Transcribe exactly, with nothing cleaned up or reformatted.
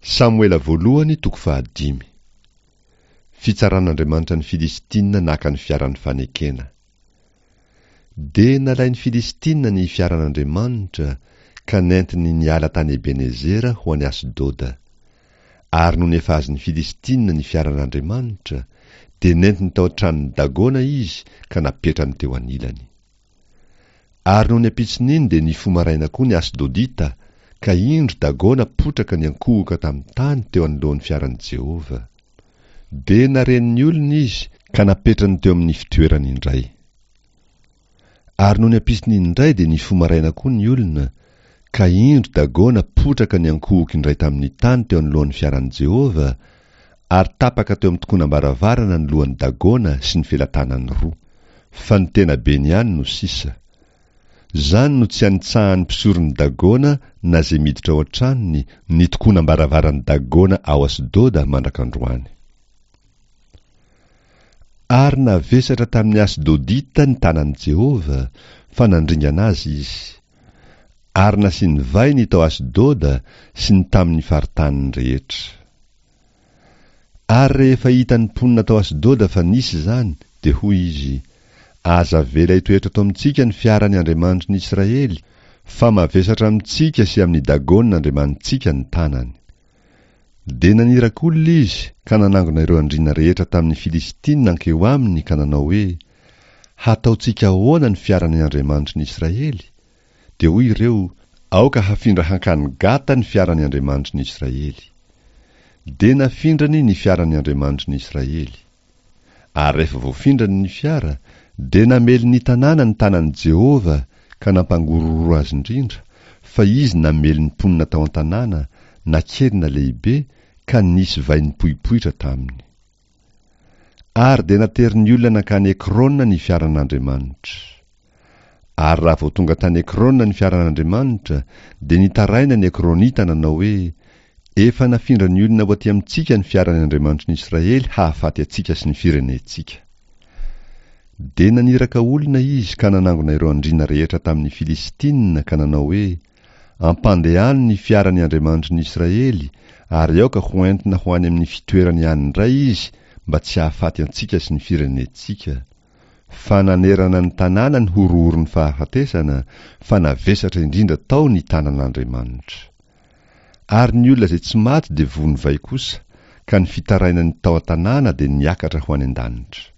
Samoela voalohany toko fahadimy. Fitsaran'Andriamanitra ny Filistina naka ny fiaran'ny fanekena. Dia nalain'ny Filistina ny fiaran'Andriamanitra ka nentiny niala tany Ebenezera ho any Asdoda. Ary nony efa azon'ny Filistina ny fiaran'Andriamanitra, dia nentiny tao an-tranon'i Dagona izy ka napetrany teo anilany. Ary nony ampitson'iny dia nifoha maraina koa ny Asdodita, ka indro Dagona potraka niankohoka tamin'ny tany teo anoloan'ny fiaran'i Jehovah. Dia naren'ny olona izy ka napetrany teo amin'ny fitoerany indray. Ary nony ampitson'iny indray dia nifoha maraina koa ny olona, ka indro Dagona potraka niankohoka indray tamin'ny tany teo anoloan'ny fiaran'i Jehovah, ary tapaka teo amin'ny tokonam-baravarana ny lohan'i Dagona sy ny felatanany roa. Fa ny tenabeny ihany no sisa. Izany no tsy anitsahan'ny mpisoron'i Dagona na izay miditra ao an-tranony ny tokonam-baravaran'i Dagona ao Asdoda mandrak'androany. Ary navesatra tamin'ny Asdodita ny tanan'i Jehovah, fa nandringana azy izy. Ary nasiany vay ny tao Asdoda sy ny tamin'ny faritaniny rehetra. Ary rehefa hitan'ny mponina tao Asdoda fa nisy izany, dia hoy izy, Aza avela hitoetra eto amintsika ny fiaran'ny Andriamanitry ny Israely, fa mavesatra amintsika sy amin'i Dagona andriamanitsika ny tanany. Dia naniraka olona izy ka nanangona ireo andriana rehetra tamin'ny Filistina nankeo aminy ka nanao hoe, Hataontsika ahoana ny fiaran'ny Andriamanitry ny Israely? Dia hoy ireo, Aoka hafindra hankany Gata ny fiaran'ny Andriamanitry ny Israely. Dia nafindrany ny fiaran'ny Andriamanitry ny Israely. Ary rehefa voafindrany ny fiara, dia namely ny tanàna ny tanan'i Jehovah ka nampangororo azy indrindra, fa izy namely ny mponina tao an-tanàna, na kely na lehibe, ka nisy vay nipoipoitra taminy. Ary dia naterin'ny olona nankany Ekrona ny fiaran'Andriamanitra. Ary raha vao tonga tany Ekrona ny fiaran'Andriamanitra, dia nitaraina ny Ekronita nanao hoe, Efa nafindran'ny olona ho aty amintsika ny fiaran'ny Andriamanitry ny Israely hahafaty antsika sy ny firenentsika. Dia naniraka olona izy ka nanangona ireo andriana rehetra tamin'ny Filistina ka nanao hoe, Ampandehano ny fiaran'ny Andriamanitry ny Israely ary aoka ho entina ho any amin'ny fitoerany ihany indray izy mba tsy hahafaty antsika sy ny firenentsika. Fa nanerana ny tanàna ny horohoron'ny fahafatesana, fa navesatra indrindra tao ny tanan'Andriamanitra. Ary ny olona izay tsy maty dia vono vay kosa, ka ny fitarainan'ny tao an-tanàna dia niakatra ho any an-danitra.